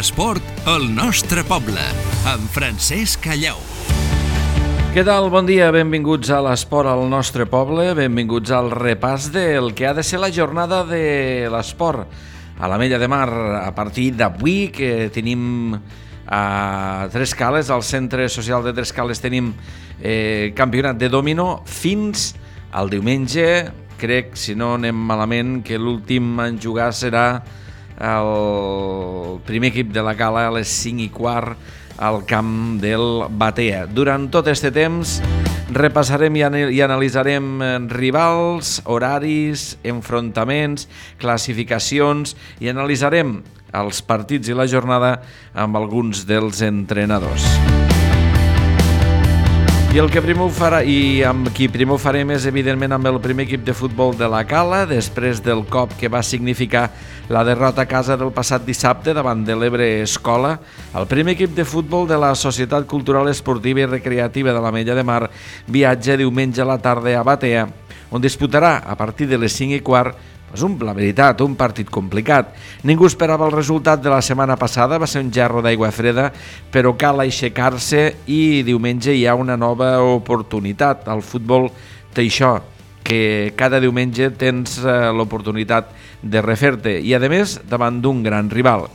L'esport al nostre poble, amb Francesc Callau. Què tal? Bon dia, benvinguts a l'esport al nostre poble, benvinguts al repàs del que ha de ser la jornada de l'esport a l'Ametlla de Mar a partir d'avui, que tenim a Tres Cales, al Centre Social de Tres Cales tenim campionat de dòmino fins al diumenge. Crec, si no anem malament, que l'últim en jugar serà el primer equip de la Cala a les 5:15 al camp del Batea. Durant tot aquest temps repassarem i analitzarem rivals, horaris, enfrontaments, classificacions i analitzarem els partits i la jornada amb alguns dels entrenadors. I el que primer ho farà, i amb qui primer ho farem és evidentment amb el primer equip de futbol de la Cala, després del cop que va significar la derrota a casa del passat dissabte davant de l'Ebre Escola. El primer equip de futbol de la Societat Cultural Esportiva i Recreativa de l'Ametlla de Mar viatja diumenge a la tarda a Batea, on disputarà a partir de les 5:15 la veritat, un partit complicat. Ningú esperava el resultat de la setmana passada, va ser un gerro d'aigua freda, però cal aixecar-se i diumenge hi ha una nova oportunitat. El futbol té això, que cada diumenge tens l'oportunitat de refer-te i, a més, davant d'un gran rival.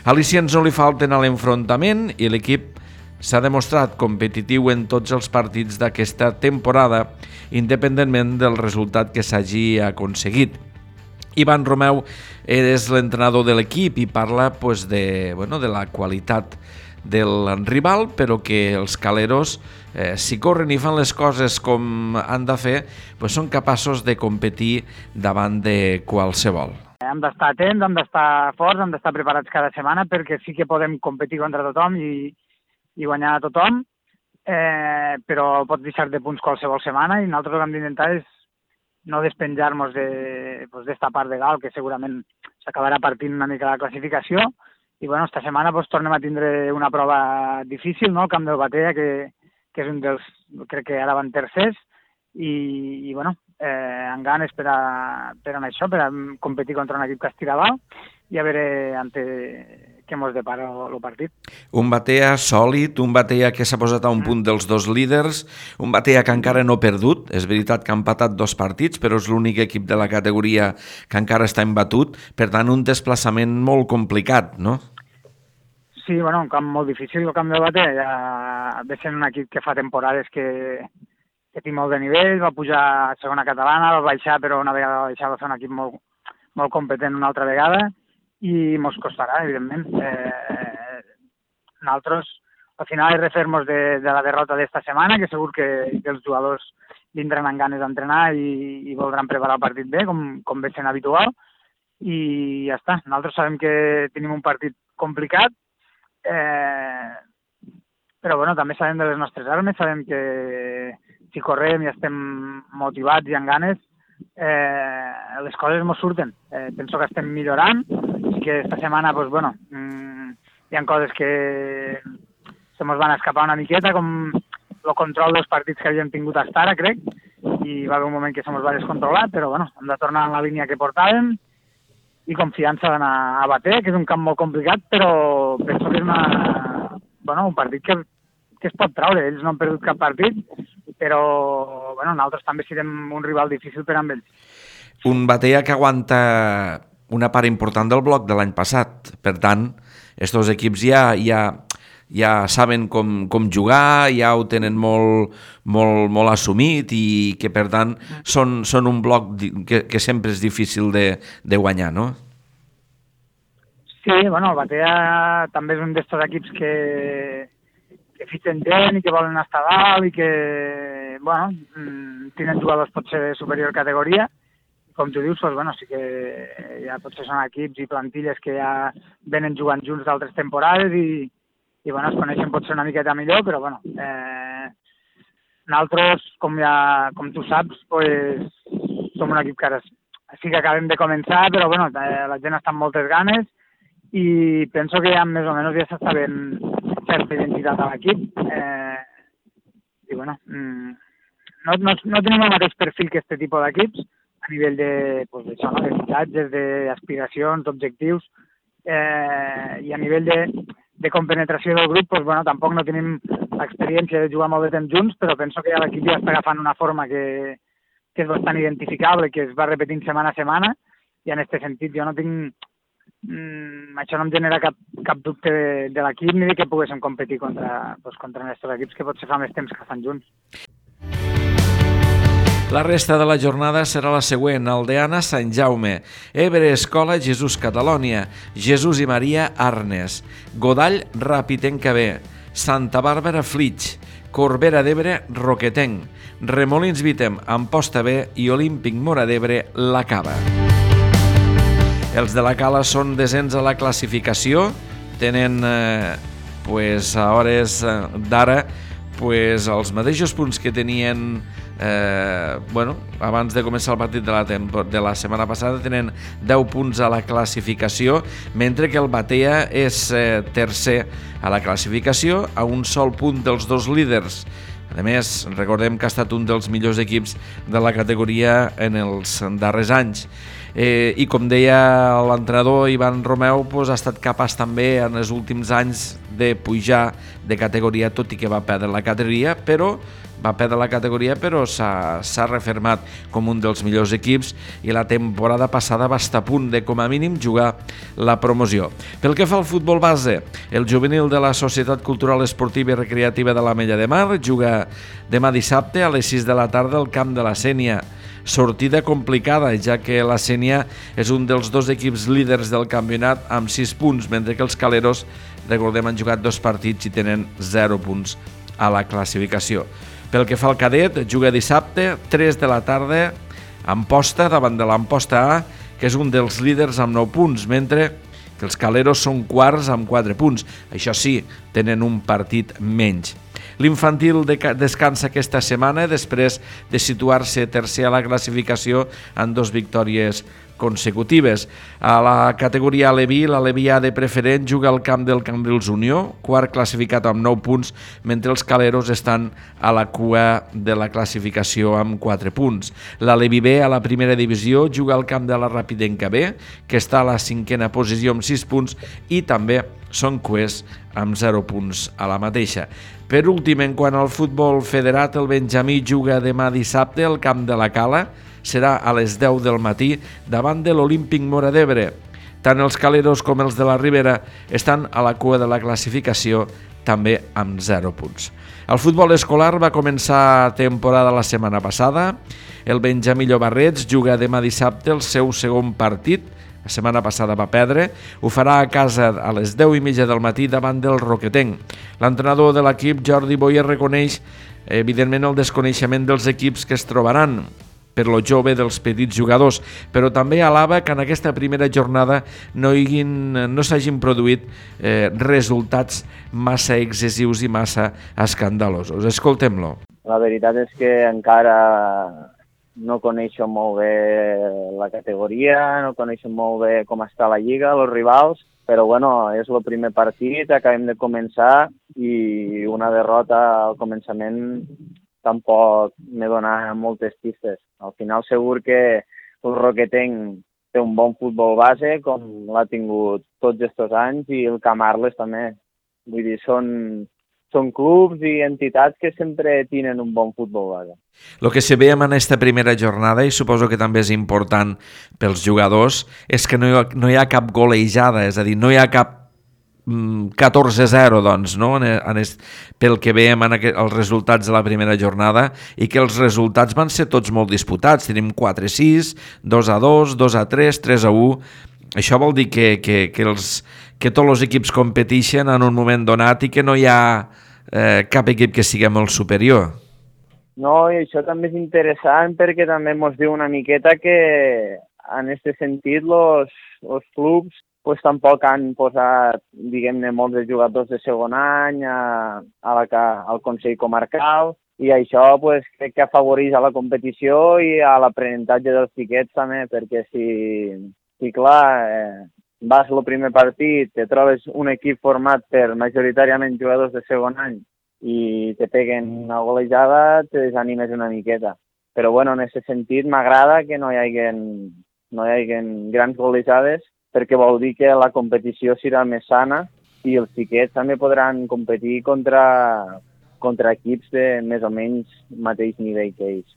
Al·licients no li falten a l'enfrontament i l'equip s'ha demostrat competitiu en tots els partits d'aquesta temporada, independentment del resultat que s'hagi aconseguit. Ivan Romeu és l'entrenador de l'equip i parla de la qualitat del rival, però que els caleros, si corren i fan les coses com han de fer, són capaços de competir davant de qualsevol. Hem d'estar atents, hem d'estar forts, hem d'estar preparats cada setmana perquè sí que podem competir contra tothom i guanyar a tothom, però pots deixar de punts qualsevol setmana i nosaltres el que hem d'intentar és no despenjar-nos d'esta part de dalt, que segurament s'acabarà partint una mica la classificació. I esta setmana tornem a tindre una prova difícil, no? El camp del Batea, que és un dels, crec que ara van tercers, i amb ganes per a això, per a competir contra un equip que estira dalt i a veure què mos depara el partit. Un Batea sòlid, un Batea que s'ha posat a un punt dels dos líders, un Batea que encara no ha perdut. És veritat que ha empatat 2 partits, però és l'únic equip de la categoria que encara està imbatut. Per tant, un desplaçament molt complicat, no? Sí, un camp molt difícil, el camp del Batea. Ja ve sent un equip que fa temporades que té molt de nivell, va pujar a segona catalana, va baixar, però una vegada va baixar va ser un equip molt competent una altra vegada, i mos costarà, evidentment. Nosaltres, al final, refer-nos de la derrota d'esta setmana, que segur que els jugadors vindran amb ganes d'entrenar i voldran preparar el partit bé, com ve sent habitual, i ja està. Nosaltres sabem que tenim un partit complicat, però també sabem de les nostres armes, sabem que si correm i estem motivats i amb ganes, les coses ens surten. Penso que estem millorant, i que esta setmana hi ha coses que se mos van escapar una miqueta, com el control dels partits que havíem tingut fins ara, crec, i va haver un moment que se mos va descontrolar, però hem de tornar a la línia que portàvem i confiança d'anar a Batea, que és un camp molt complicat, però penso que és un partit que es pot traure. Ells no han perdut cap partit, però nosaltres també serem un rival difícil per amb ells. Un Batea que aguanta una part important del bloc de l'any passat. Per tant, aquests dos equips ja saben com jugar, ja ho tenen molt assumit i que, per tant, són un bloc que sempre és difícil de guanyar, no? Sí, el Batea també és un d'aquests equips que fitxen gent i que volen estar a dalt i que, tenen jugadors potser de superior categoria. Com tu dius, sí que ja potser són equips i plantilles que ja venen jugant junts d'altres temporades i es coneixen potser una miqueta millor, però nosaltres, com tu saps, som un equip que ara sí que acabem de començar, però la gent està amb moltes ganes i penso que ja més o menys ja s'està veient certa identitat a l'equip. No tenim el mateix perfil que aquest tipus d'equips, a nivell de fitxatges, d'aspiracions, d'objectius, i a nivell de compenetració del grup, doncs, bueno, tampoc no tenim l'experiència de jugar molt de temps junts, però penso que ja l'equip ja està agafant una forma que és bastant identificable, que es va repetint setmana a setmana, i en aquest sentit jo no tinc... això no em genera cap dubte de l'equip ni de que poguéssim competir contra aquests equips que potser fa més temps que fan junts. La resta de la jornada serà la següent: Aldeana, Sant Jaume, Ebre, Escola, Jesús, Catalònia, Jesús i Maria, Arnes, Godall, Ràpitenc B, Santa Bàrbara, Flix, Corbera d'Ebre, Roquetenc, Remolins Vitem, Amposta B i Olímpic Móra d'Ebre, La Cava. Els de la Cala són desens a la classificació, tenen a hores d'ara els mateixos punts que tenien abans de començar el partit de la setmana passada. Tenen 10 punts a la classificació, mentre que el Batea és tercer a la classificació, a un sol punt dels dos líders. A més, recordem que ha estat un dels millors equips de la categoria en els darrers anys. I com deia l'entrenador Ivan Romeu, ha estat capaç també en els últims anys de pujar de categoria, tot i que va perdre la categoria, però s'ha refermat com un dels millors equips, i la temporada passada va estar a punt de, com a mínim, jugar la promoció. Pel que fa al futbol base, el juvenil de la Societat Cultural Esportiva i Recreativa de l'Ametlla de Mar juga demà dissabte a les 6 de la tarda al camp de la Sénia. Sortida complicada, ja que la Sénia és un dels dos equips líders del campionat amb 6 punts, mentre que els Caleros, recordem, han jugat 2 partits i tenen 0 punts a la classificació. Pel que fa al cadet, juga dissabte, 3 de la tarda, Amposta davant de l'Amposta A, que és un dels líders amb 9 punts, mentre que els Caleros són quarts amb 4 punts. Això sí, tenen un partit menys. L'infantil descansa aquesta setmana després de situar-se tercer a la classificació amb 2 victòries consecutives. A la categoria Aleví, l'Aleví A de preferent juga al camp del Cambrils Unió, quart classificat amb 9 punts, mentre els Caleros estan a la cua de la classificació amb 4 punts. L'Aleví B, a la primera divisió, juga al camp de la Ràpitenc B, que està a la 5a posició amb 6 punts, i també són cuers amb 0 punts a la mateixa. Per últim, en quant al futbol federat, el Benjamí juga demà dissabte al camp de la Cala, serà a les 10 del matí davant de l'Olímpic Móra d'Ebre. Tant els Caleros com els de la Ribera estan a la cua de la classificació, també amb 0 punts. El futbol escolar va començar temporada la setmana passada. El Benjamí Llobarrets juga demà dissabte el seu segon partit. La setmana passada va perdre. Ho farà a casa a les 10:30 del matí davant del Roquetenc. L'entrenador de l'equip, Jordi Boyer, reconeix evidentment el desconeixement dels equips que es trobaran per lo jove dels petits jugadors, però també alaba que en aquesta primera jornada no s'hagin produït resultats massa excessius i massa escandalosos. Escoltem-lo. La veritat és que encara no coneixo molt bé la categoria, no coneixo molt bé com està la lliga, els rivals, però bueno, és el primer partit, acabem de començar i una derrota al començament tampoc me dona moltes pistes. Al final segur que el Roquetenc té un bon futbol base, com l'ha tingut tots aquests anys, i el Camarles també. Vull dir, són clubs i entitats que sempre tenen un bon futbol base. El que se ve en aquesta primera jornada, i suposo que també és important pels jugadors, és que no hi ha cap golejada, és a dir, no hi ha cap 14-0, doncs, no? Pel que veiem en els resultats de la primera jornada, i que els resultats van ser tots molt disputats. Tenim 4-6, 2-2, 2-3, 3-1. Això vol dir que tots els equips competeixen en un moment donat i que no hi ha cap equip que sigui molt superior. No, i això també és interessant perquè també ens diu una miqueta que en aquest sentit els clubs pues tampoc han posat, diguem-ne, molts de jugadors de segon any al Consell Comarcal, i això pues, crec que afavoreix a la competició i a l'aprenentatge dels xiquets també, perquè si clar, vas al primer partit, te trobes un equip format per majoritàriament jugadors de segon any i te peguen una golejada, te desanimes una miqueta. Però bueno, en aquest sentit m'agrada que no hi hagi grans golejades, perquè vol dir que la competició serà més sana i els xiquets també podran competir contra equips de més o menys mateix nivell que ells.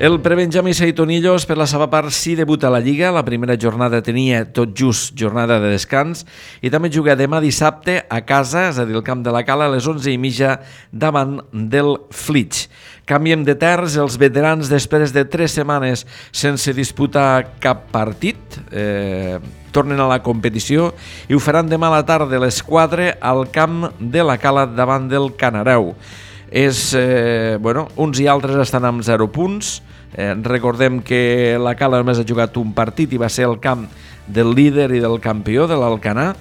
El prebenjamí Seitonillos, per la seva part, sí debuta a la Lliga. La primera jornada tenia tot just jornada de descans i també juga demà dissabte a casa, és a dir, al camp de la Cala, a les 11:30 davant del Flix. Canviem de terç, els veterans, després de 3 setmanes sense disputar cap partit, tornen a la competició i ho faran demà a la tarda a les 4 al camp de la Cala davant del Canareu. Uns i altres estan amb 0 punts. Recordem que la Cala només ha jugat un partit i va ser el camp del líder i del campió de l'Alcanar,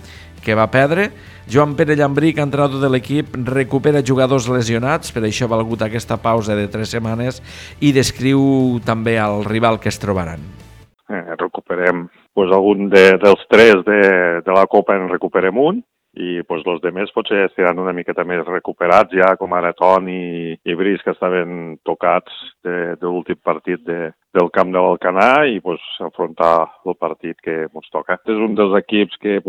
que va perdre. Joan Pere Llambric, entrenador de l'equip, recupera jugadors lesionats, per això ha valgut aquesta pausa de 3 setmanes, i descriu també el rival que es trobaran. Recuperem algun dels 3 de la Copa, en recuperem un, i els demés potser estaran una miqueta més recuperats ja, com ara Toni i Brice, que estaven tocats de l'últim partit del camp de l'Alcanar, i afrontar el partit que ens toca. És un dels equips que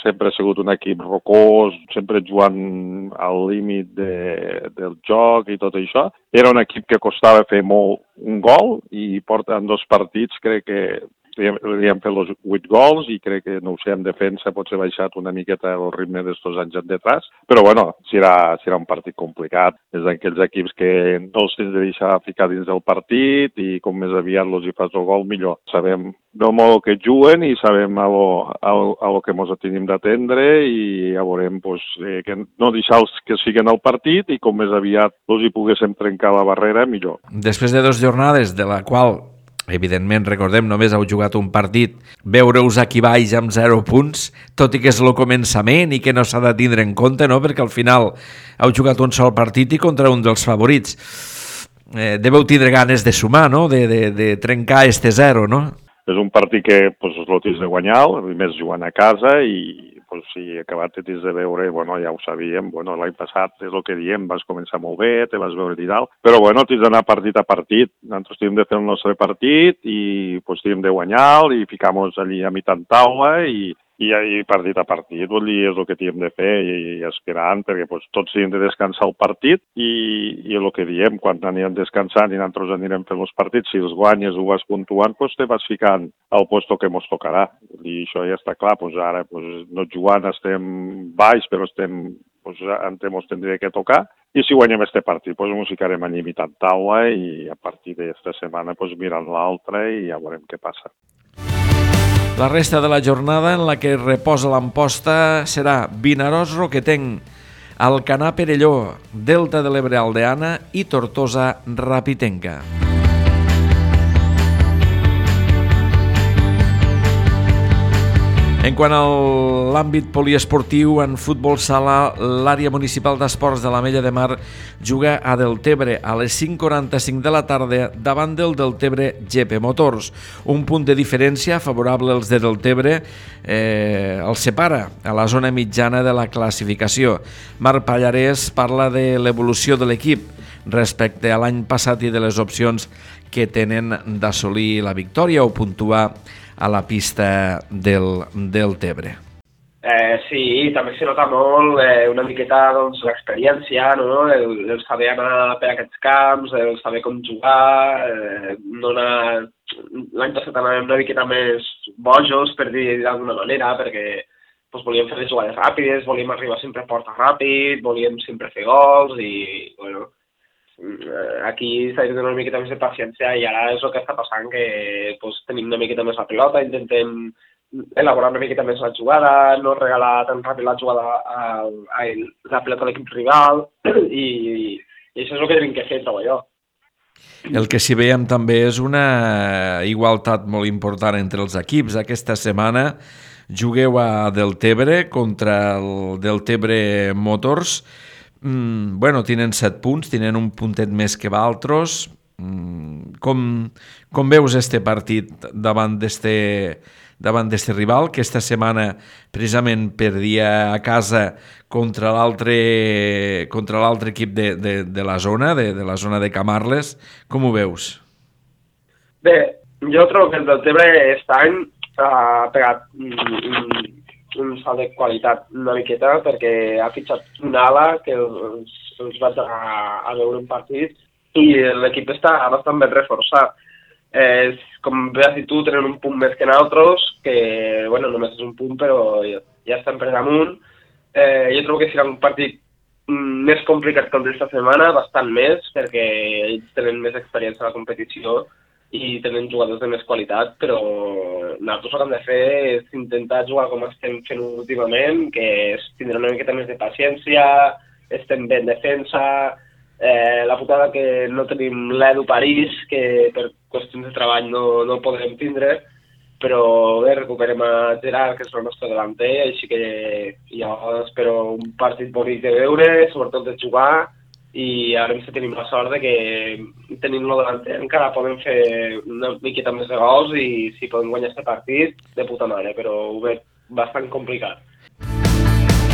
sempre ha sigut un equip rocós, sempre jugant al límit del joc i tot això. Era un equip que costava fer molt un gol i porten 2 partits, crec que li han fet els 8 gols i crec que, no ho sé, en defensa potser ha baixat una miqueta el ritme d'estos anys detrás, però serà un partit complicat. És d'aquells equips que no els tens de deixar ficar dins del partit i com més aviat els hi fas el gol, millor. Sabem del modo que juguen i sabem a lo que ens tenim d'atendre i ja veurem que no deixar-los que siguen al partit i com més aviat els hi poguéssim trencar la barrera, millor. Després de 2 jornades, de la qual evidentment, recordem, només heu jugat un partit, veure-us aquí baix amb 0 punts, tot i que és el començament i que no s'ha de tindre en compte, no? Perquè al final heu jugat un sol partit i contra un dels favorits. Deveu tindre ganes de sumar, no? De trencar este 0, no? És un partit que el tens de guanyar, més jugant a casa, i si acabat de veure, ja ho sabíem, l'any passat és el que diem, vas començar molt bé, te vas veure i tal, però tens d'anar partit a partit. Nosaltres tenim de fer el nostre partit i tenim de guanyar i ficar-nos allí a mitjan taula i partit a partit, és el que tenim de fer i esperant, perquè tots tenim de descansar el partit i el que diem, quan anirem descansant i nosaltres anirem fent els partits, si els guanyes ho vas puntuant, te vas ficant al puesto que ens tocarà. I això ja està clar, ara no jugant estem baix, però ens tindria que tocar, i si guanyem este partit, ens ficarem allà mitjan taula i a partir d'esta setmana mirant l'altra i ja veurem què passa. La resta de la jornada en la que reposa l'Amposta serà Vinaròs Roquetenc, Alcanar Perelló, Delta de l'Ebre Aldeana i Tortosa Rapitenca. En quant a l'àmbit poliesportiu, en futbol sala, l'àrea municipal d'esports de l'Ametlla de Mar juga a Deltebre a les 5:45 de la tarda davant del Deltebre GP Motors. Un punt de diferència favorable als de Deltebre els separa a la zona mitjana de la classificació. Marc Pallarès parla de l'evolució de l'equip respecte a l'any passat i de les opcions que tenen d'assolir la victòria o puntuar a la pista del Tebre. Sí, també se nota molt una miqueta l'experiència, no? El saber anar per aquests camps, el saber com jugar, l'any passat anàvem una miqueta més bojos, per dir d'alguna manera, perquè volíem fer les jugades ràpides, volíem arribar sempre a porta ràpid, volíem sempre fer gols i, aquí s'ha de tenir una miqueta més de paciència i ara és el que està passant, que tenim una miqueta més la pilota, intentem elaborar una miqueta més la jugada, no regalar tan ràpid la jugada la pilota a l'equip rival i això és el que tenim que fer, trobo jo. El que sí veiem també és una igualtat molt important entre els equips. Aquesta setmana jugueu a Deltebre contra el Deltebre Motors. Tenen 7 punts, tenen un puntet més que d'altres. Com veus este partit davant d'este rival, que esta setmana precisament perdia a casa contra l'altre equip de la zona, de la zona de Camarles? Com ho veus? Bé, Jo trobo que el Deltebre aquest any ha pegat un salt de qualitat una miqueta perquè ha fitxat un ala que els vaig a veure un partit i l'equip està bastant ben reforçat. Com bé has dit tu, tenen un punt més que nosaltres, que bueno, només és un punt però ja estan per damunt. Jo trobo que serà un partit més complicat que el d'esta setmana, bastant més, perquè ells tenen més experiència a la competició i tenen jugadors de més qualitat, però nosaltres el que hem de fer és intentar jugar com estem fent últimament, que és tindre una miqueta més de paciència, estem bé en defensa, la putada que no tenim l'Edu París, que per qüestions de treball no el podrem tindre, però bé, recuperem a Gerard, que és el nostre delanter, així que jo espero un partit bonic de veure, sobretot de jugar, i ara si tenim la sort de que tenint-lo delanter encara podem fer una miqueta més de gols i si podem guanyar aquest partit, de puta mare, però ho veig bastant complicat.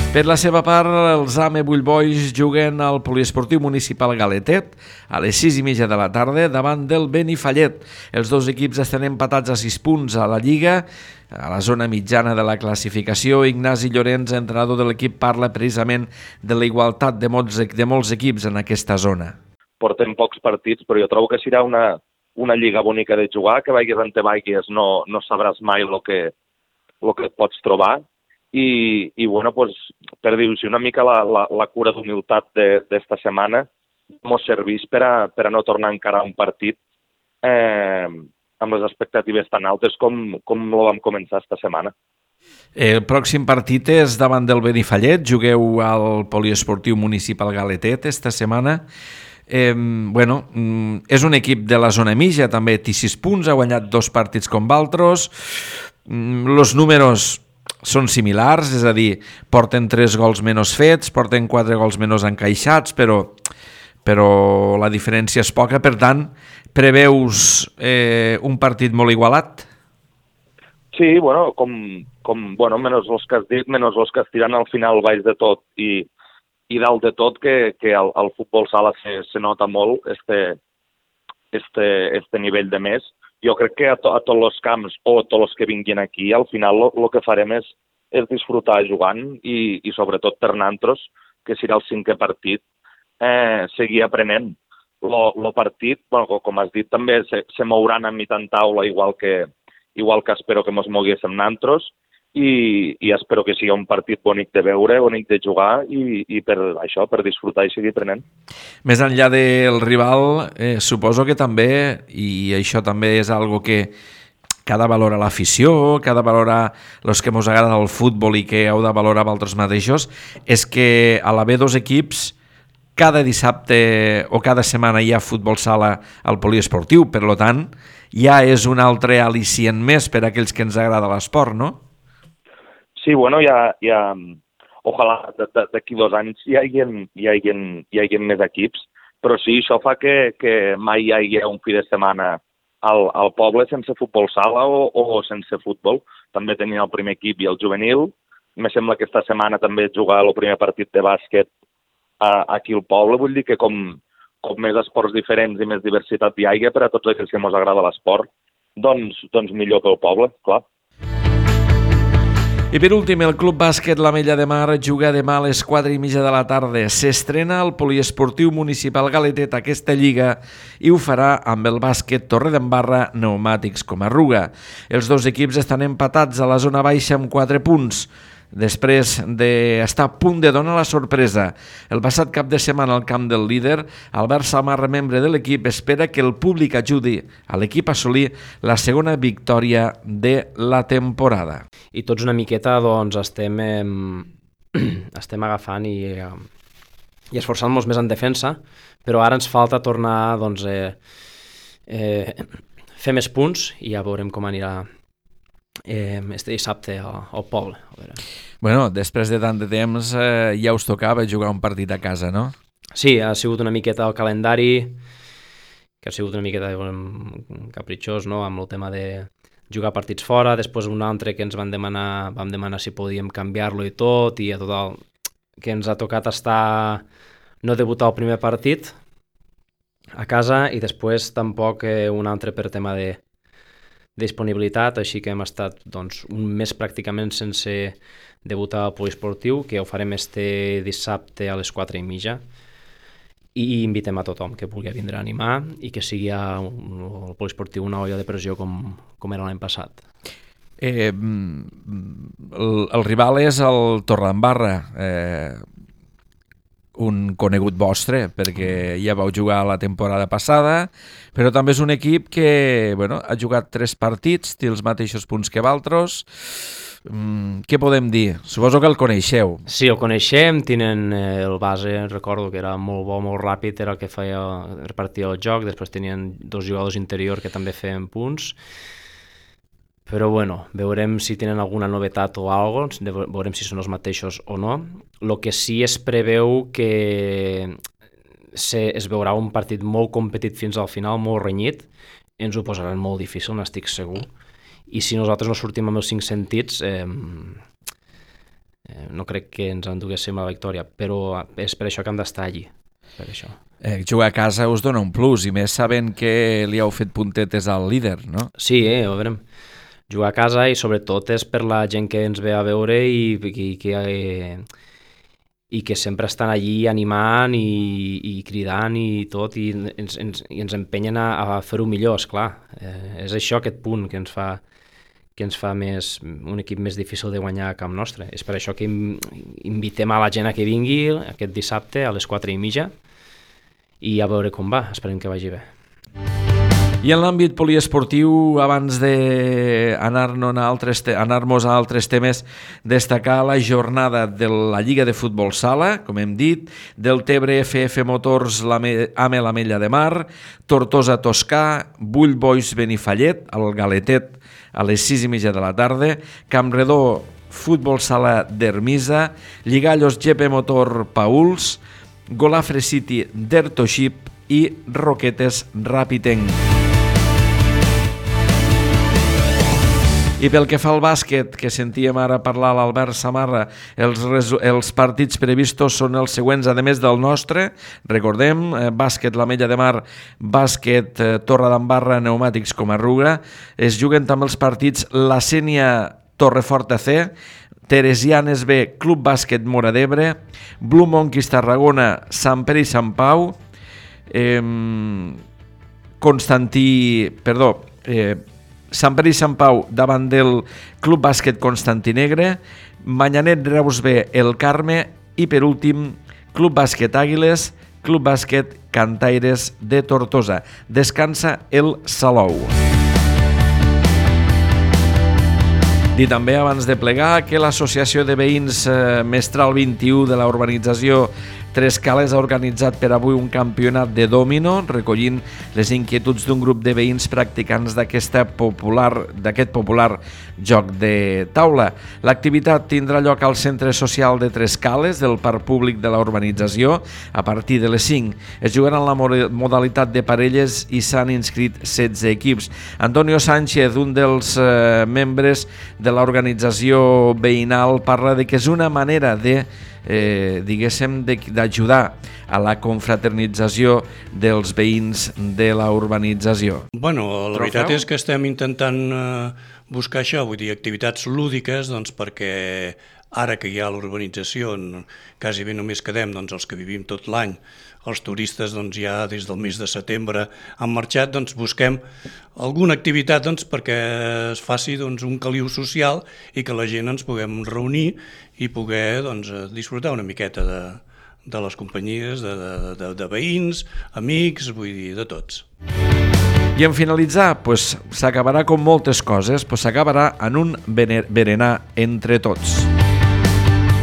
Per la seva part, els AME Bullboys juguen al Poliesportiu Municipal Galetet a les 6:30 de la tarda davant del Benifallet. Els dos equips estan empatats a 6 punts a la Lliga. A la zona mitjana de la classificació, Ignasi Llorenç, entrenador de l'equip, parla precisament de la igualtat de molts equips en aquesta zona. Portem pocs partits, però jo trobo que serà una lliga bonica de jugar, que vagis on te vagis no sabràs mai el que et pots trobar. I bueno, pues, per dir-ho una mica la cura d'humilitat d'esta setmana mos serveix per a no tornar a encarar un partit amb les expectatives tan altes com lo vam començar esta setmana. El pròxim partit és davant del Benifallet, jugueu al Poliesportiu Municipal Galetet esta setmana. És un equip de la zona mitja, també té 6 punts, ha guanyat 2 partits com Valtros. Els números són similars, és a dir, porten 3 gols menys fets, porten 4 gols menys encaixats, però la diferència és poca. Per tant, preveus un partit molt igualat? Sí, bueno, menys els que has dit, menys els que estiran al final baix de tot i dalt de tot, que al futbol sala se nota molt este nivell de més. Jo crec que a tots els camps o a tots els que vinguin aquí, al final el que farem és disfrutar jugant i sobretot per nosaltres, que serà el 5è partit, seguir aprenent. El partit, bueno, com has dit, també se mouran a mitjan taula, igual que espero que mos moguéssim nosaltres, i espero que sigui un partit bonic de veure, bonic de jugar i per això, per disfrutar i seguir aprenent. Més enllà del rival, suposo que també, i això també és algo que ha de valorar l'afició, que ha de valorar els que ens agrada el futbol i que heu de valorar vosaltres mateixos, és que a l'haver 2 equips, cada dissabte o cada setmana hi ha futbol sala al poliesportiu, per tant, ja és un altre al·licient més per a aquells que ens agrada l'esport, no? Sí, bueno, ojalà d'aquí 2 anys hi hagi més equips, però sí, això fa que mai hi hagi un fi de setmana al poble sense futbol sala o sense futbol. També tenia el primer equip i el juvenil. Me sembla que esta setmana també jugar el primer partit de bàsquet aquí al poble. Vull dir que com més esports diferents i més diversitat hi hagi per a tots aquells que ens agrada l'esport, doncs millor pel poble, clar. I per últim, el Club Bàsquet l'Ametlla de Mar juga demà a les 4:30 de la tarda. S'estrena al Poliesportiu Municipal Galetet aquesta lliga i ho farà amb el Bàsquet Torredembarra Pneumàtics Comarruga. Els 2 equips estan empatats a la zona baixa amb 4 punts, després d'estar a punt de donar la sorpresa. El passat cap de setmana al camp del líder, Albert Samarra, membre de l'equip, espera que el públic ajudi a l'equip a assolir la segona victòria de la temporada. I tots una miqueta doncs, estem agafant i esforçant-nos més en defensa, però ara ens falta tornar doncs, fer més punts i ja veurem com anirà este dissabte al poble. Bueno, després de tant de temps ja us tocava jugar un partit a casa, no? Sí, ha sigut una miqueta el calendari, que ha sigut una miqueta capritxós, no?, amb el tema de jugar partits fora, després un altre que ens vam demanar si podíem canviar-lo i tot, i a total que ens ha tocat no debutar el primer partit a casa i després tampoc un altre per tema disponibilitat, així que hem estat doncs, un mes pràcticament sense debutar al poliesportiu, que ho farem este dissabte a les 4:30, i invitem a tothom que vulgui vindre a animar i que sigui el poliesportiu una olla de pressió com era l'any passat. El rival és el Torredembarra, un conegut vostre, perquè ja vau jugar la temporada passada, però també és un equip que ha jugat 3 partits, té els mateixos punts que vosaltres. Què podem dir? Suposo que el coneixeu. Sí, el coneixem, tenen el base, recordo que era molt bo, molt ràpid, era el que repartia el joc, després tenien 2 jugadors interior que també feien punts, però veurem si tenen alguna novetat o alguna cosa, veurem si són els mateixos o no. El que sí es preveu que es veurà un partit molt competit fins al final, molt renyit, ens ho posaran molt difícil, n'estic segur, i si nosaltres no sortim amb els 5 sentits, no crec que ens enduguéssim la victòria, però és per això que hem d'estar allí, per això. Jugar a casa us dona un plus, i més sabent que li heu fet puntetes al líder, no? Sí, ho veurem. Jugar a casa i sobretot és per la gent que ens ve a veure i que sempre estan allí animant i cridant i tot, i ens empenyen a fer-ho millor, esclar. És això, aquest punt que ens fa un equip més difícil de guanyar a camp nostre. És per això que invitem a la gent a que vingui aquest dissabte a les 4:30 i a veure com va, esperem que vagi bé. I en l'àmbit poliesportiu, abans d'anar-nos a altres temes, destacar la jornada de la Lliga de Futbol Sala, com hem dit, del Tebre FF Motors AME l'Ametlla de Mar, Tortosa Toscà, Bull Boys Benifallet, al Galetet, a les 6:30 de la tarda, Campredó Futbol Sala d'Ermisa, Lligallos GP Motor Pauls, Golafre City d'Ertoship i Roquetes Ràpitenc. I pel que fa al bàsquet, que sentíem ara parlar l'Albert Samarra, els partits previstos són els següents, a més del nostre. Recordem, bàsquet l'Ametlla de Mar, bàsquet Torredembarra, Pneumàtics Comarruga. Es juguen també els partits la Sénia Torrefort AC, Teresianes B, Club Bàsquet Móra d'Ebre, Blue Monkeys Tarragona, Sant Pere i Sant Pau, Sant Pere i Sant Pau davant del Club Bàsquet Constantinegre, Manyanet Reus B, El Carme, i per últim Club Bàsquet Àguiles, Club Bàsquet Cantaires de Tortosa. Descansa el Salou. Dir també, abans de plegar, que l'Associació de Veïns Mestral 21 de la urbanització Tres Cales ha organitzat per avui un campionat de dòmino, recollint les inquietuds d'un grup de veïns practicants d'aquest popular joc de taula. L'activitat tindrà lloc al Centre Social de Tres Cales del Parc Públic de la urbanització a partir de les 5. Es jugarà en la modalitat de parelles i s'han inscrit 16 equips. Antonio Sánchez, un dels membres de l'organització veïnal, parla de que és una manera d'ajudar a la confraternització dels veïns de la urbanització. Bueno, la veritat és que estem intentant buscar això, vull dir, activitats lúdiques, doncs perquè ara que hi ha l'urbanització, quasi bé només quedem els que vivim tot l'any, els turistes ja des del mes de setembre han marxat, doncs busquem alguna activitat perquè es faci un caliu social i que la gent ens puguem reunir i poder disfrutar una miqueta de les companyies, de veïns, amics, vull dir, de tots. I en finalitzar, s'acabarà com moltes coses, s'acabarà en un berenar entre tots.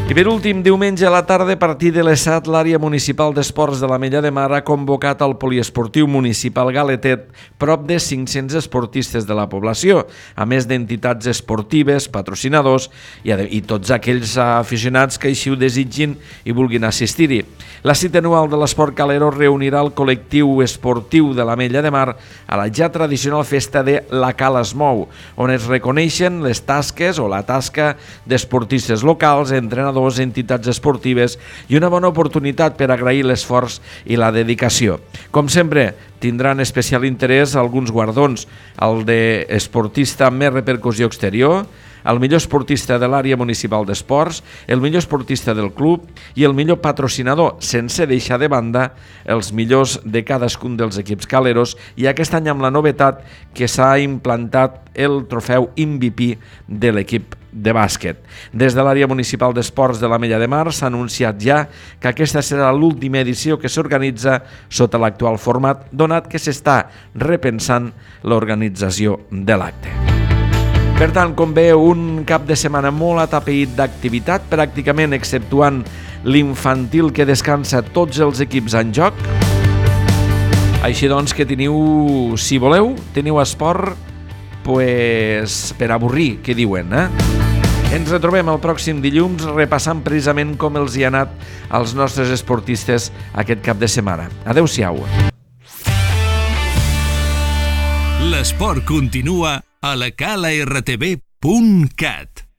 I per últim, diumenge a la tarda, a partir de les 7, l'àrea municipal d'esports de l'Ametlla de Mar ha convocat al poliesportiu municipal Galetet prop de 500 esportistes de la població, a més d'entitats esportives, patrocinadors i tots aquells aficionats que així ho desitgin i vulguin assistir-hi. La cita anual de l'esport calero reunirà el col·lectiu esportiu de l'Ametlla de Mar a la ja tradicional festa de La Cala es Mou, on es reconeixen les tasques o la tasca d'esportistes locals, entrenadors entrenadors, entitats esportives i una bona oportunitat per agrair l'esforç i la dedicació. Com sempre, tindran especial interès alguns guardons, el d'esportista amb més repercussió exterior, el millor esportista de l'àrea municipal d'esports, el millor esportista del club i el millor patrocinador, sense deixar de banda els millors de cadascun dels equips caleros, i aquest any amb la novetat que s'ha implantat el trofeu MVP de l'equip de bàsquet. Des de l'àrea municipal d'esports de l'Ametlla de Mar s'ha anunciat ja que aquesta serà l'última edició que s'organitza sota l'actual format, donat que s'està repensant l'organització de l'acte. Per tant, com veu, un cap de setmana molt atapeït d'activitat, pràcticament exceptuant l'infantil que descansa tots els equips en joc. Així doncs que teniu, si voleu, teniu esport pues, per avorrir, que diuen, Ens retrobem el pròxim dilluns repassant precisament com els hi ha anat als nostres esportistes aquest cap de setmana. Adéu-siau. L'esport continua a la calartv.cat.